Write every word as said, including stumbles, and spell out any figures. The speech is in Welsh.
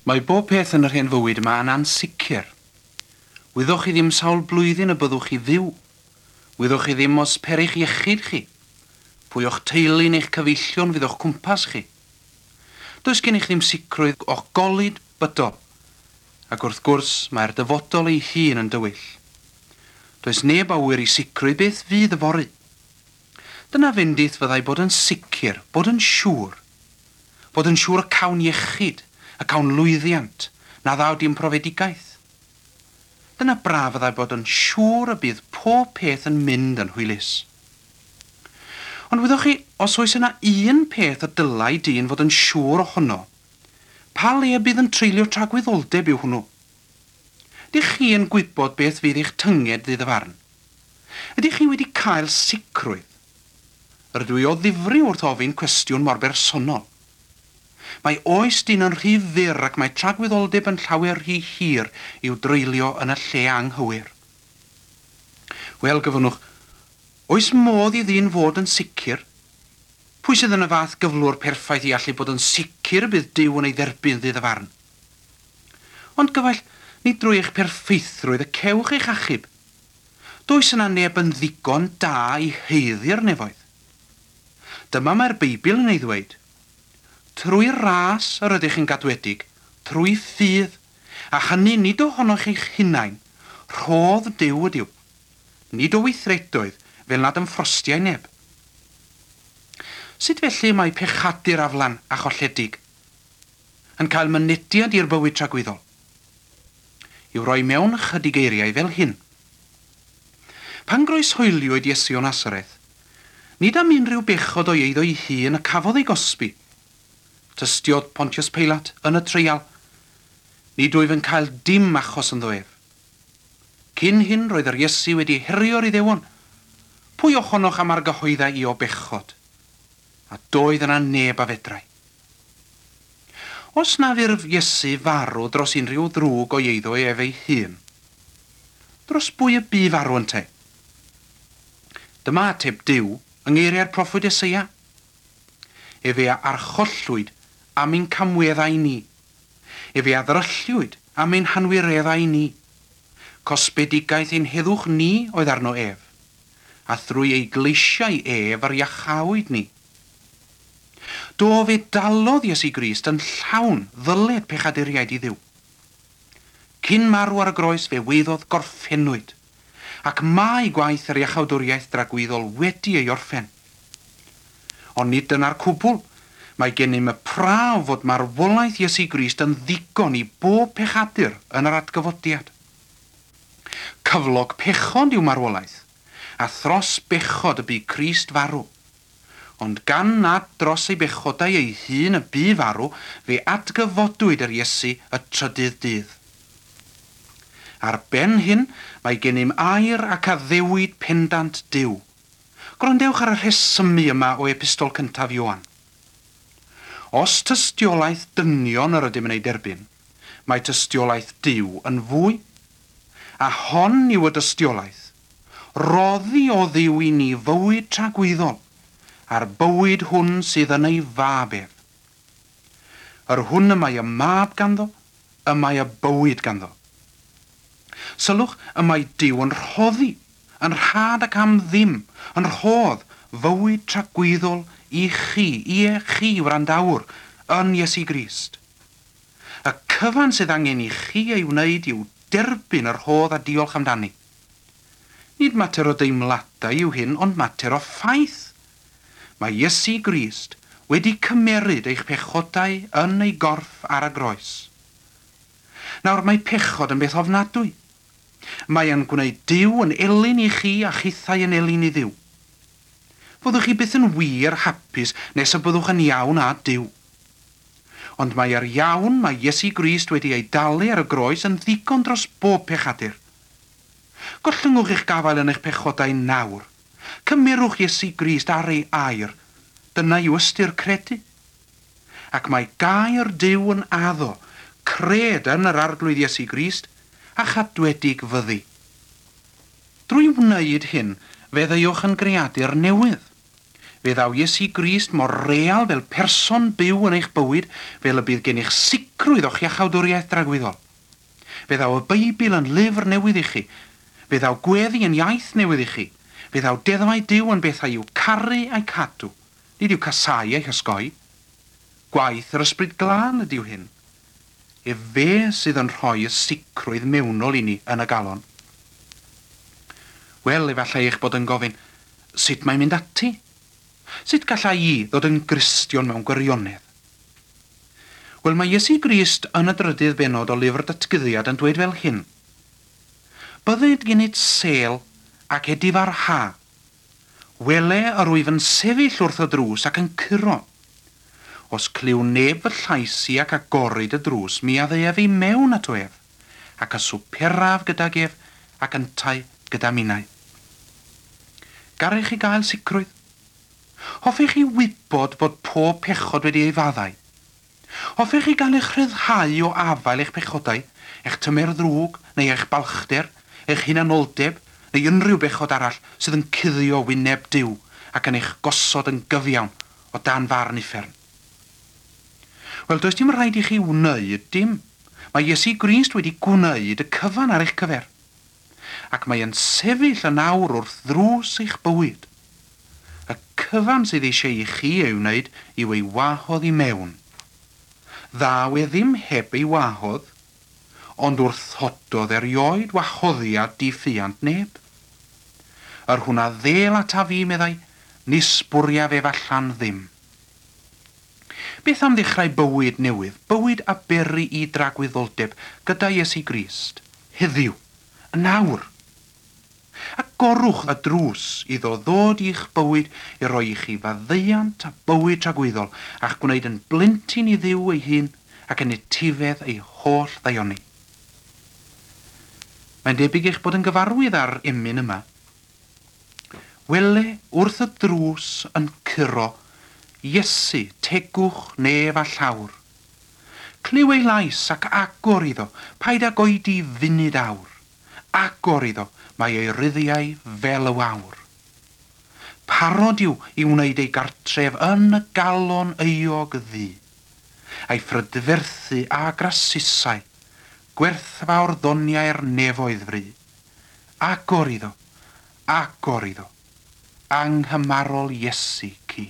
Mae bob peth yn yr hen fywyd yma yn ansicr. Wyddoch chi ddim sawl blwyddyn y byddwch chi fyw. Wyddoch chi ddim os perych iechyd chi. Pwy o'ch teulu neu'ch cyfeillion fydd o'ch cwmpas chi. Does gennych ddim sicrwydd o'ch golud bydol. Ac wrth gwrs mae'r dyfodol ei hun yn dywyll. Does neb awyr i sicrwydd beth fydd yfory. Dyna fendith fyddai bod yn sicr, bod yn siŵr. Bod yn siŵr y cawn iechyd, y cawn lwyddiant, na ddaw dim profedigaeth. Dyna braf fyddai bod yn siŵr y bydd pob peth yn mynd yn hwylus. Ond wyddoch chi, os oes yna un peth y dylai dyn fod yn siŵr ohono, pa le bydd yn treulio tragwyddoldeb yw hwnnw? Dych chi yn gwybod beth fydd eich tynged ddydd y farn? Ydych chi wedi cael sicrwydd? Rydw i o ddifri wrth ofyn cwestiwn mor bersonol. Mae oes dyn yn rhy fyr ac mae tragwyddoldeb yn llawer rhy hir i'w dreulio yn y lle anghywir. Wel, gyfynwch, oes modd i ddyn fod yn sicr? Pwy sydd yn y fath gyflwr perffaith i allu bod yn sicr y bydd Duw yn ei dderbyn ddydd y farn? Ond gyfaill, nid drwy eich perffeithrwydd y cewch eich achub. Does yna neb yn ddigon da i haeddu'r nefoedd. Dyma mae'r Beibl yn ei ddweud. Trwy ras yr ydych yn gadwedig, trwy ffydd, a hynny nid ohonoch eich hunain, rhodd Duw ydyw, nid o weithredoedd fel nad ymffrostiau neb. Sut felly mae pechadur aflan a cholledig yn cael mynediad i'r bywyd tragwyddol? I'w roi mewn ychydig eiriau fel hyn. Pan groeshoeliwyd Iesu o Nasareth, nid am unrhyw bechod o'i eiddo ei hun y cafodd ei gosbi. Tystiodd Pontius Pilate yn y treial. Nid wyf yn cael dim achos ynddo ef. Cyn hyn roedd yr Iesu wedi herio'r Iddewon. Pwy ohonoch am argyhoedda i o bechod? A doedd yna neb a fedrai. Os na furf Iesu farw dros unrhyw ddrwg o'i eiddo ef ei hun, dros bwy y bu farw yntau? Dyma ateb Duw yng ngeiriau'r proffwyd Eseia. Efe a archollwyd am ein camweddau ni. Efe a ddrylliwyd am ein hanwireddau ni. Cosbedigaeth ein heddwch ni oedd arno ef, a thrwy ei gleisiau ef yr iachawyd ni. Do fe dalodd Iesu Grist yn llawn ddyled pechaduriaid i Dduw. Cyn marw ar y groes fe weiddodd gorffennwyd, ac mae gwaith yr iachawdwriaeth dragwyddol wedi ei orffen. Ond nid dyna'r cwbl. Mae gennym y prawf fod marwolaeth Iesu Grist yn ddigon i bob pechadur yn yr atgyfodiad. Cyflog pechod yw marwolaeth, a thros bechod y bu Crist farw. Ond gan nad dros ei bechodau ei hun y bu farw, fe atgyfodwyd yr Iesu y trydydd dydd. Ar ben hyn, mae gennym air ac addewid pendant Duw. Gwrandewch ar y rhesymu yma o epistol cyntaf Ioan. Os tystiolaeth dynion yr ydym yn ei derbyn, mae tystiolaeth Duw yn fwy. A hon yw y dystiolaeth. Roddi o Dduw i ni fywyd tragwyddol, a'r bywyd hwn sydd yn ei fab ef. Yr hwn y mae y mab ganddo, y mae y bywyd ganddo. Sylwch, y mae Duw yn rhoddi, yn rhad ac am ddim, yn rhodd fywyd tragwyddol i chi, ie chi wrandawr, yn Iesu Grist. Y cyfan sydd angen i chi ei wneud yw derbyn yr rhodd a diolch amdani. Nid mater o deimladau yw hyn, ond mater o ffaith. Mae Iesu Grist wedi cymeryd eich pechodau yn ei gorff ar y groes. Nawr mae pechod yn beth ofnadwy. Mae yn gwneud Duw yn elyn i chi a chithau yn elyn i Dduw. Fyddwch chi byth yn wir hapus nes y byddwch yn iawn â Duw. Ond mae yr iawn mae Iesu Grist wedi ei dalu ar y groes yn ddigon dros bob pechadur. Gollyngwch eich gafael yn eich pechodau nawr. Cymerwch Iesu Grist ar ei air. Dyna yw ystyr credu. Ac mae gair Duw yn addo, cred yn yr Arglwydd Iesu Grist, a chadwedig fyddi. Drwy wneud hyn, fe ddeuwch yn greadur newydd. Fe ddaw Iesu Grist mor real fel person byw yn eich bywyd fel y bydd gennych sicrwydd o'ch iachawdwriaeth dragwyddol. Fe ddaw y Beibl yn lyfr newydd i chi. Fe ddaw gweddi yn iaith newydd i chi. Fe ddaw deddfau Duw yn bethau i'w caru a'i cadw. Nid i'w casáu a'u hosgoi. Gwaith yr Ysbryd Glân ydyw hyn. Efe sydd yn rhoi y sicrwydd mewnol i ni yn y galon. Wel, efallai eich bod yn gofyn, sut mae'n mynd ati? Sut gallai i ddod yn Gristion mewn gwirionedd? Wel, mae Iesu Grist yn y drydydd bennod o lyfr Datguddiad yn dweud fel hyn. Bydded gennyt sêl ac edifarha. Wele yr wyf yn sefyll wrth y drws ac yn curo. Os clyw neb fy llais i ac agoryd y drws, mi a ddeuaf i mewn ato ef, ac a swperaf gydag ef ac yntau gyda minnau. Garech chi gael sicrwydd? Hoffech chi wybod bod pob pechod wedi ei faddau? Hoffech chi gael eich rhyddhau o afael eich pechodau, eich tymer ddrwg, neu eich balchder, eich hunanoldeb, neu unrhyw bechod arall sydd yn cuddio wyneb Duw ac yn eich gosod yn gyfiawn o dan farn uffern? Wel, does dim rhaid i chi wneud dim. Mae Iesu Grist wedi gwneud y cyfan ar eich cyfer. Ac mae yn sefyll yn awr wrth ddrws eich bywyd. Y cyfan sydd eisiau i chi ei wneud yw ei wahodd i mewn. Ddaw e ddim heb ei wahodd, ond wrthododd erioed wahoddiad diffuant neb. Yr hwn a ddêl ataf fi, meddai, nis bwriaf ef allan ddim. Beth am ddechrau bywyd newydd, bywyd aberu i dragwyddoldeb gyda Iesu Grist, heddiw, yn awr? Agorwch y drws iddo ddod i'ch bywyd i roi i chi faddeuant a bywyd tragwyddol a'ch gwneud yn blentyn i Dduw ei hun ac yn etifedd ei holl ddaioni. Mae'n debyg eich bod yn gyfarwydd â'r emyn yma. Wele wrth y drws yn curo, Iesu, tegwch nef a llawr. Clyw ei lais ac agor iddo, paid ag oedi funud awr. Agor iddo, mae ei ryddiau fel y wawr. Parod yw i wneud ei gartref yn y galon euog ddu, a'i phrydferthu a grasusau, gwerthfawr ddoniau'r nefoedd fry. Agor iddo, agor iddo, anghymarol Iesu cu.